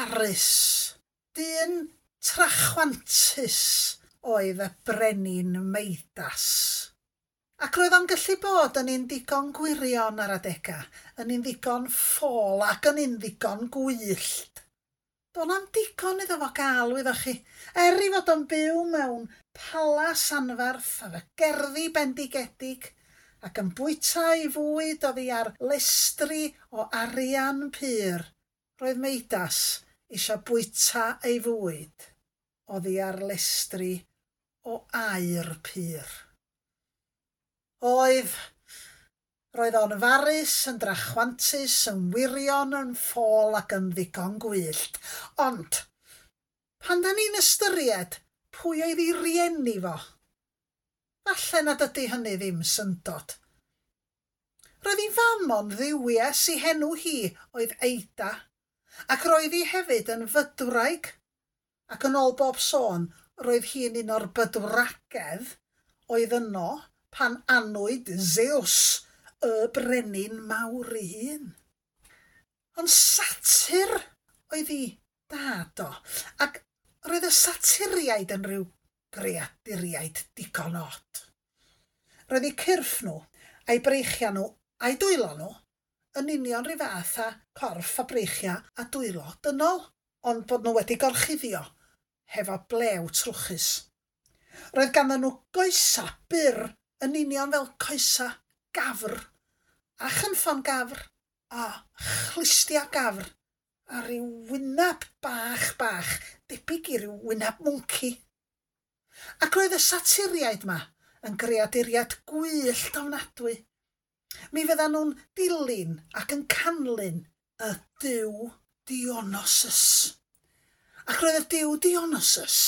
Farus, dyn trachwantus oedd y brenin Meidas. Ac roedd o'n gallu bod yn un ddigon gwirion ar adega, yn un ddigon ffôl ac yn un ddigon gwyllt. Do'n na'm digon iddo fo gael, wyddoch chi. Er i fod o'n byw mewn palas anferth efo gerddi bendigedig ac yn bwyta ei fwyd oddi ar lestri o arian pur, roedd Meidas eisiau bwyta ei fwyd oddi ar lestri o aur pur. Oedd. Roedd o'n farus, yn drachwantus, yn wirion, yn ffôl ac yn ddigon gwyllt. Ond, pan da ni'n ystyried pwy oedd ei rieni fo, falle nad ydy hynny ddim syndod. Roedd ei fam o'n dduwies, ei henw hi oedd Eida, ac roedd hi hefyd yn fydwraig, ac yn ôl bob sôn, roedd hi'n un o'r bydwragedd oedd yno pan anwyd Zeus, y brenin mawr ei hun. Ond satyr oedd ei dad o, ac roedd y saturiaid yn rhyw greaduriaid digon od. Roedd eu cyrff nhw, a'i breichiau nhw, a'i dwylo nhw, yn union rhyw fath â corff a breichiau a dwylo dynol, ond bod nhw wedi gorchuddio hefo blew trwchus. Roedd ganddyn nhw goesa byr yn union fel coesa gafr, a chynffon gafr, a chlustia gafr, a rhyw wynab bach bach, debyg i ryw wynab mwnci. Ac roedd y saturiaid ma yn greaduriaid gwyllt ofnadwy. Mi fyddan nhw'n dilyn ac yn canlyn y duw Dionysus. Ac roedd y duw Dionysus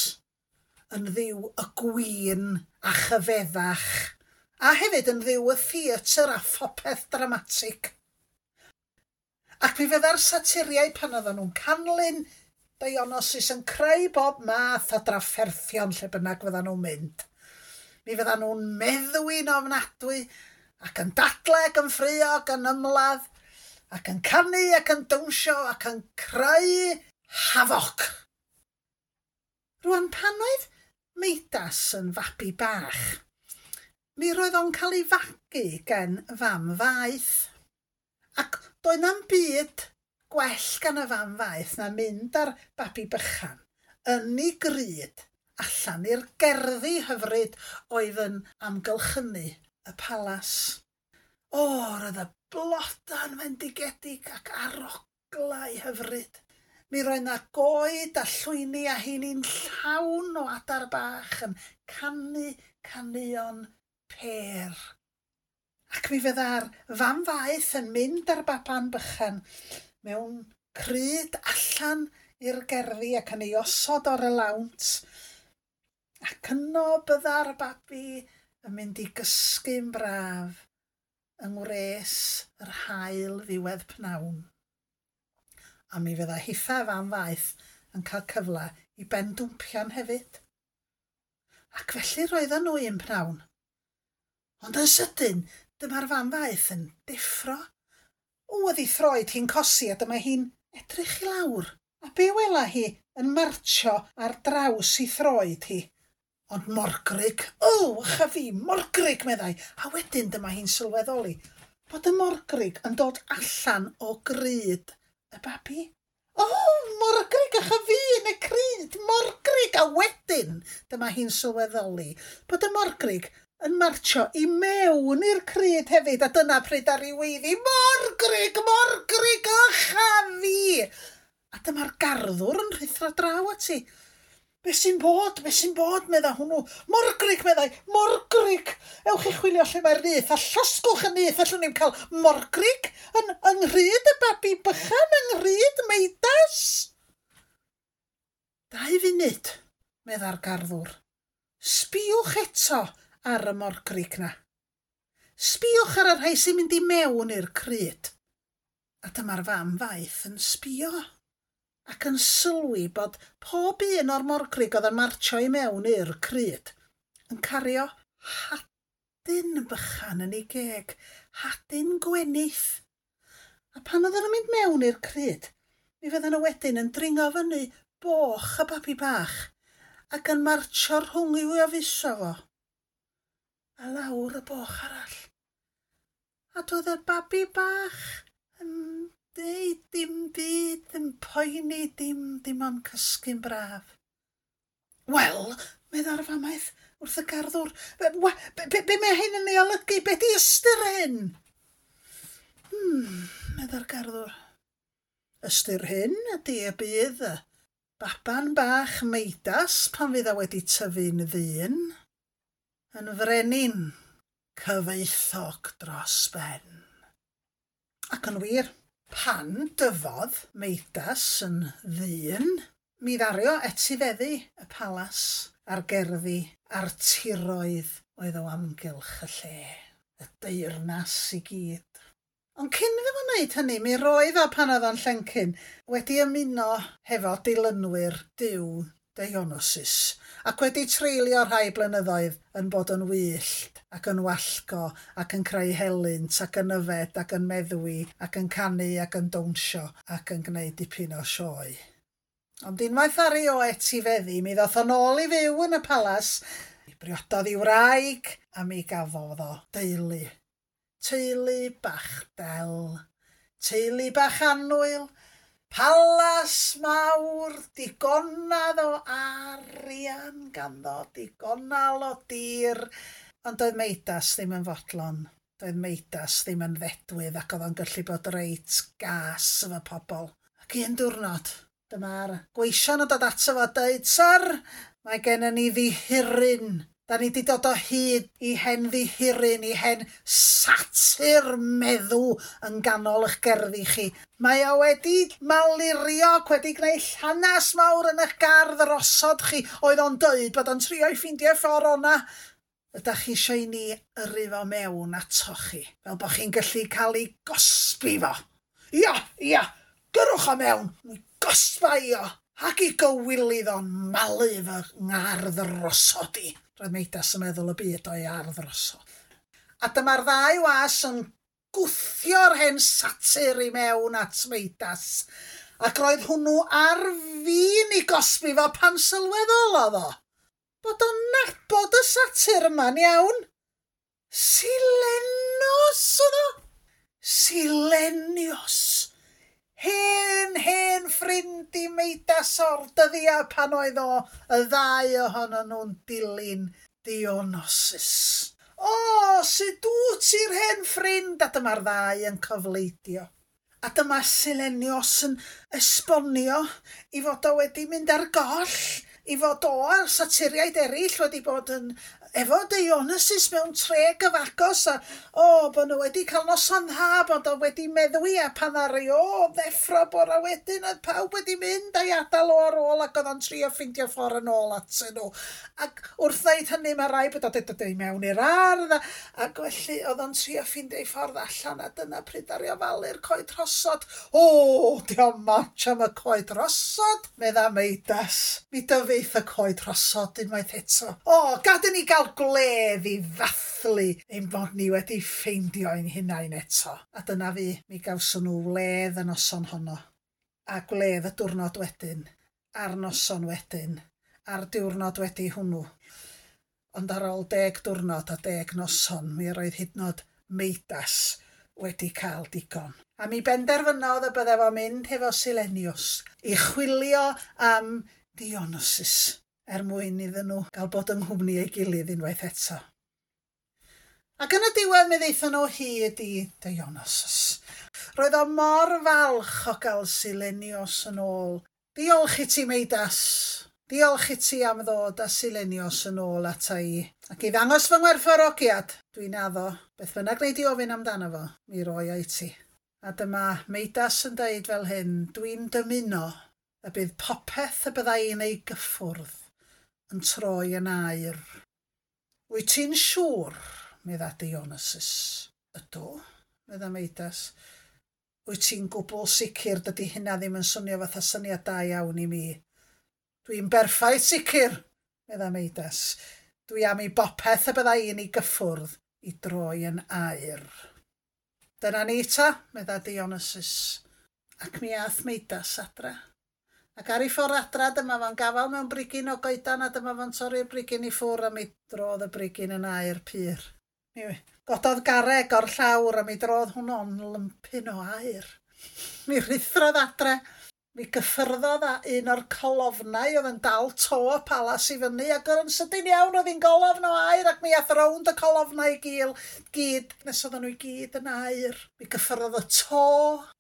yn dduw y gwin a chyfeddach, a hefyd yn dduw y theatr a phopeth dramatig. Ac mi fydda'r saturiaid pan oedden nhw'n canlyn Dionysus yn creu bob math o drafferthion lle bynnag fyddan nhw'n mynd. Mi fyddan nhw'n meddwi'n ofnadwy ac yn dadlau ac yn ffraeo ac yn ymladd ac yn canu ac yn dawnsio ac yn creu hafoc. Rwan, pan oedd Meidas yn fabi bach, mi roedd o'n cael ei fagu gen fam faeth. Ac doedd na'm byd gwell gan y fam faeth na mynd â'r babi bychan yn ei gryd allan i'r gerddi hyfryd oedd yn amgylchynu y palas. O, roedd y bloda'n fendigedig ac aroglau hyfryd. Mi roedd 'na goed a llwyni a heini'n llawn o adar bach yn canu caneuon pêr. Ac mi fydda'r fam faeth yn mynd â'r baban bychan mewn cryd allan i'r gerddi ac yn ei osod ar y lawnt. Ac yno bydda'r babi yn mynd i gysgu'n braf yng ngwres yr haul ddiwedd pnawn. A mi fydda hitha fam faeth yn cael cyfle i bendwmpian hefyd. Ac felly roedden nhw un pnawn. Ond yn sydyn, dyma'r fam faeth yn deffro. O, oedd ei throed hi'n cosi a dyma hi'n edrych i lawr. A be wela hi yn martsio ar draws ei throed hi? Ond morgrug, o, ych a fi, morgrug, meddai. A wedyn dyma hi'n sylweddoli bod y morgrug yn dod allan o gryd y babi. O, morgrug, ych a fi yn y cryd, morgrug. A wedyn dyma hi'n sylweddoli bod y morgrug yn martsio i mewn i'r cryd hefyd, a dyna pryd ar ei weiddi, morgrug, morgrug, ych a fi. A dyma'r garddwr yn rhuthro draw ati. Be sy'n bod? Be sy'n bod? Medda hwnnw. Morgrug, meddai. Morgrug! Ewch i chwilio lle mae'r nyth a llosgwch y nyth. Allwn ni'm cael morgrug yn yng nghryd y babi bychan, yng nghryd Meidas. 2 funud, medda'r garddwr. Sbïwch eto ar y morgrug na. Sbïwch ar y rhai sy'n mynd i mewn i'r cryd. A dyma'r fam faeth yn sbïo ac yn sylwi bod pob un o'r morgrug oedd yn martsio i mewn i'r cryd yn cario hadyn bychan yn ei geg, hadyn gwenith. A pan oedden nhw'n mynd mewn i'r cryd, Mi fyddan nhw wedyn yn dringo fyny boch y babi bach ac yn martsio rhwng i'w afuso fo a lawr y boch arall. A doedd y babi bach yn deud dim byd, yn poeni dim, dim ond cysgu'n braf. Wel, medda'r famaeth wrth y garddwr, be mae hyn yn ei olygu? Be di ystyr hyn? Medda'r garddwr. Ystyr hyn ydy y bydd y baban bach Meidas pan fydd o wedi tyfu'n ddyn, yn frenin cyfoethog dros ben. Ac yn wir, pan dyfodd Meidas yn ddyn, mi ddario etifeddu y palas a'r gerddi a'r tiroedd oedd o amgylch y lle, y deyrnas i gyd. Ond cyn iddo fo wneud hynny, mi roedd o pan oedd o'n llencyn wedi ymuno hefo dilynwyr Duw Dionysus ac wedi treulio rhai blynyddoedd yn bod yn wyllt ac yn wallgo ac yn creu helynt ac yn yfed ac yn meddwi ac yn canu ac yn dawnsio ac yn gwneud dipyn o sioe. Ond unwaith ar ei o etifeddu, mi ddoth o'n ôl i fyw yn y palas, mi briododd i wraig a mi gafodd o deulu. Teulu bach del, teulu bach annwyl, palas mawr, digonedd o arian ganddo, digonal o dir. Ond doedd Meidas ddim yn fodlon, doedd Meidas ddim yn ddedwydd ac oedd o'n gallu bod reit gas efo pobl. Ac un diwrnod, dyma'r gweision yn dod ato fo a dweud, Syr, mae gennym ni ddihiryn. Da ni wedi dod o hyd i hen ddihiryn, i hen satyr meddw yn ganol eich gerddi chi. Mae o wedi malurio ac wedi gwneud llanas mawr yn eich gardd rosod chi. Oedd o'n dweud bod o'n trio i ffeindio ffordd o'na. Ydych chi eisiau i ni yrru fo mewn atoch chi, fel bod chi'n gallu cael ei gosbi fo? Ia, ia, gyrwch o mewn, mi gosba i o, ac i gywilydd o'n malu fy ngardd rosod i. Roedd Meidas yn meddwl y byd o'i ardd rosod. A dyma'r ddau was yn gwthio'r hen satyr i mewn at Meidas. Ac roedd hwnnw ar fin i gosbi fo pan sylweddolodd o bod o'n nabod y satyr yma'n iawn. Silenos oedd o. Silenios. Hen, hen ffrind i Meidas o'r dyddiau pan oedd o y ddau ohonyn nhw'n dilyn Dionysus. O, sut dwyt ti'r hen ffrind? A dyma'r ddau yn cyfleidio. A dyma Silenios yn esbonio i fod o wedi mynd ar goll, i fod o a'r satiriaid eraill wedi bod yn efo Dionysus mewn tre gyfagos a o, bod nhw wedi cael noson dda, bod o wedi meddwi a pan ddaru o ddeffro bora wedyn oedd pawb wedi mynd a'i adael o ar ôl ac oedd o'n trio ffeindio ffordd yn ôl atyn nhw. Ac wrth ddeud hynny mae rai bod o'n dod i mewn i'r ardd ac felly oedd o'n trio ffeindio ei ffordd allan a dyna pryd ddaru o falu'r coed rhosod. O, diolch much am y coed rhosod, medda Meidas. Mi dyfeith y coed rhosod unwaith eto. O, gad i ni gael gwledd i ddathlu ein bod ni wedi ffeindio ein hunain eto. A dyna fi, mi gawson nhw wledd y noson honno. A gwledd y diwrnod wedyn, a'r noson wedyn, a'r diwrnod wedi hwnnw. Ond ar ôl 10 diwrnod a 10 noson, mi roedd hyd yn oed Meidas wedi cael digon. A mi benderfynodd y bydde fo'n mynd hefo Silenius i chwilio am Dionysus er mwyn iddyn nhw gael bod yng nghwmni ei gilydd unwaith eto. Ac yn y diwedd mi ddaethon nhw hyd i Dionysus. Roedd o mor falch o gael Silenios yn ôl. Diolch i ti, Meidas. Diolch i ti am ddod â Silenios yn ôl ata i. Ac i ddangos fy ngwerthfawrogiad, dwi'n addo, beth bynnag wnei di ofyn amdano fo, mi roi o i ti. A dyma Meidas yn deud fel hyn, dwi'n dymuno y bydd popeth y bydda i'n ei gyffwrdd yn troi yn aur. Wyt ti'n siŵr, medda Dionysus. Ydw, medda Meidas. Wyt ti'n gwbl sicr dydy hynna ddim yn swnio fatha syniad da iawn i mi. Dwi'n berffaith sicr, medda Meidas. Dwi am i bopeth y bydda i'n ei gyffwrdd i droi yn aur. Dyna ni ta, medda Dionysus. Ac mi ath Meidas adra. Ac ar ei ffordd adra, dyma fo'n gafael mewn brigyn o goedan a dyma fo'n torri'r brigyn i ffwr a mi drodd y brigyn yn aur pur. Mi gododd garreg o'r llawr a mi drodd hwnnw'n lympyn o aur. Mi ruthrodd adre. Mi gyffyrddodd â un o'r colofnau oedd yn dal to y palas i fyny ac oedd yn sydyn iawn oedd hi'n golofn o aur ac mi ath rownd y colofnau i gil, gyd nes oedden nhw i gyd yn aur. Mi gyffyrddodd y to,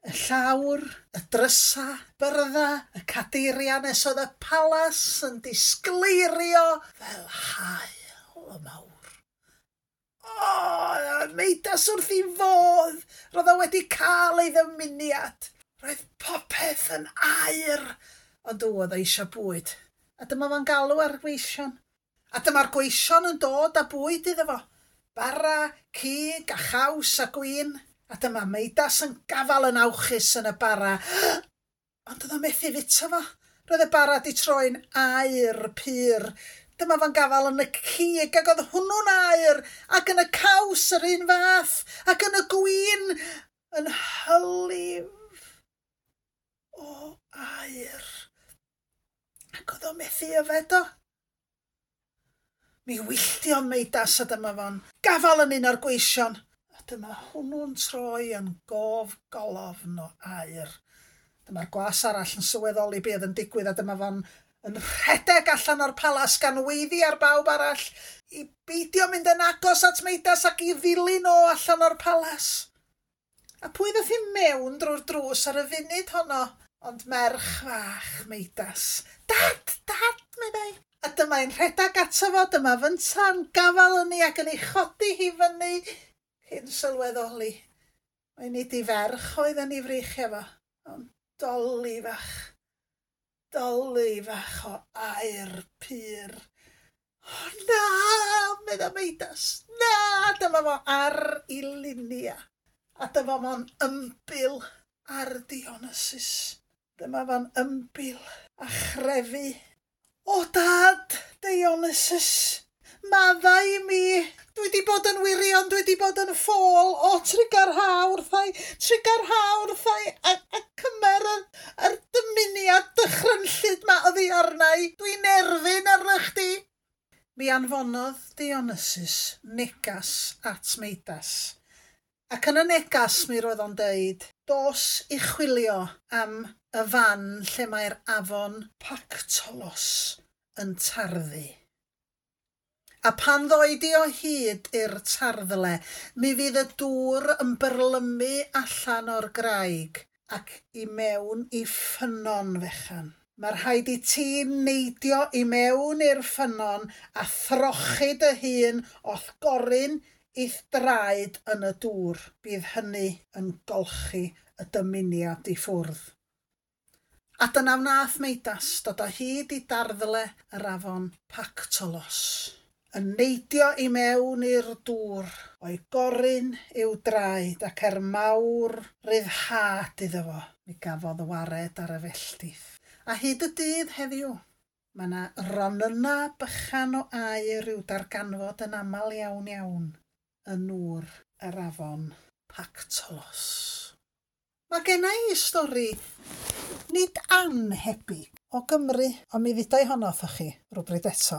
y llawr, y drysa, byrdda, y cadeiria nes oedd y palas yn disgleirio fel haul y mawr. O, Meidas wrth ei fodd, roedd o wedi cael ei ddymuniad. Roedd popeth yn aur, ond oedd o eisiau bwyd. A dyma fo'n galw ar gweision. A dyma'r gweision yn dod â bwyd iddo fo. Bara, cig a chaws a gwin. A dyma Meidas yn gafal yn awchus yn y bara. Ond oedd o methu fita fo. Roedd y bara di troi'n aur pur. Dyma fo'n gafal yn y cig ac oedd hwnnw'n aur. Ac yn y caws yr un fath. Ac yn y gwin yn hylif o aur. Ac oedd o methu yfed o. Mi wylltiodd Meidas a dyma fo'n gafal yn un o'r gweision. A dyma hwnnw'n troi yn gof golofn o aur. Dyma'r gwas arall yn sylweddoli be oedd yn digwydd a dyma fo'n yn rhedeg allan o'r palas gan weiddi ar bawb arall i beidio mynd yn agos at Meidas ac i ddilyn o allan o'r palas. A pwy ddoth i mewn drwy'r drws ar y funud honno? Ond merch fach Meidas. Dad, dad, meddai. A dyma hi'n rhedeg ato fo, dyma fynta'n gafal yn ei ac yn ei chodi hi fyny cyn sylweddoli. Mae nid i ferch oedd yn ei freichiau fo, ond doli fach o aur pur. O na, medda Meidas, na, dyma fo ar ei lunia. A dyma fo'n ymbil ar Dionysus. Dyma fo'n ymbil a chrefu. O dad, Dionysus, maddau i mi. Dwi wedi bod yn wirion, dwi wedi bod yn ffôl. O, trugarha wrthai, a cymer yr dymuniad dychrynllyd ma oddi arna i. Dwi'n erfyn arna chdi. Mi anfonodd Dionysus negas at Meidas. Ac yn y negas mi roedd o'n deud, dos i chwilio am y fan lle mae'r afon Pactolos yn tarddu. A pan ddoi di o hyd i'r tarddle, mi fydd y dŵr yn byrlymu allan o'r graig ac i mewn i ffynnon fechan. Mae rhaid i ti neidio i mewn i'r ffynnon a throchi dy hun o'th gorun i'th draed yn y dŵr. Bydd hynny yn golchi y dymuniad i ffwrdd. A dyna wnaeth Meidas dod o hyd i darddle yr afon Pactolos, yn neidio i mewn i'r dŵr o'i gorun i'w draed ac er mawr ryddhad iddo fo, mi gafodd wared ar y felltith. A hyd y dydd heddiw, mae yna ronyna bychan o aur i'w darganfod yn aml iawn iawn yn nŵr yr afon Pactolos. Mae genna i stori nid annhebyg o Gymru, ond mi ddudai honno wrthoch chi rywbryd eto.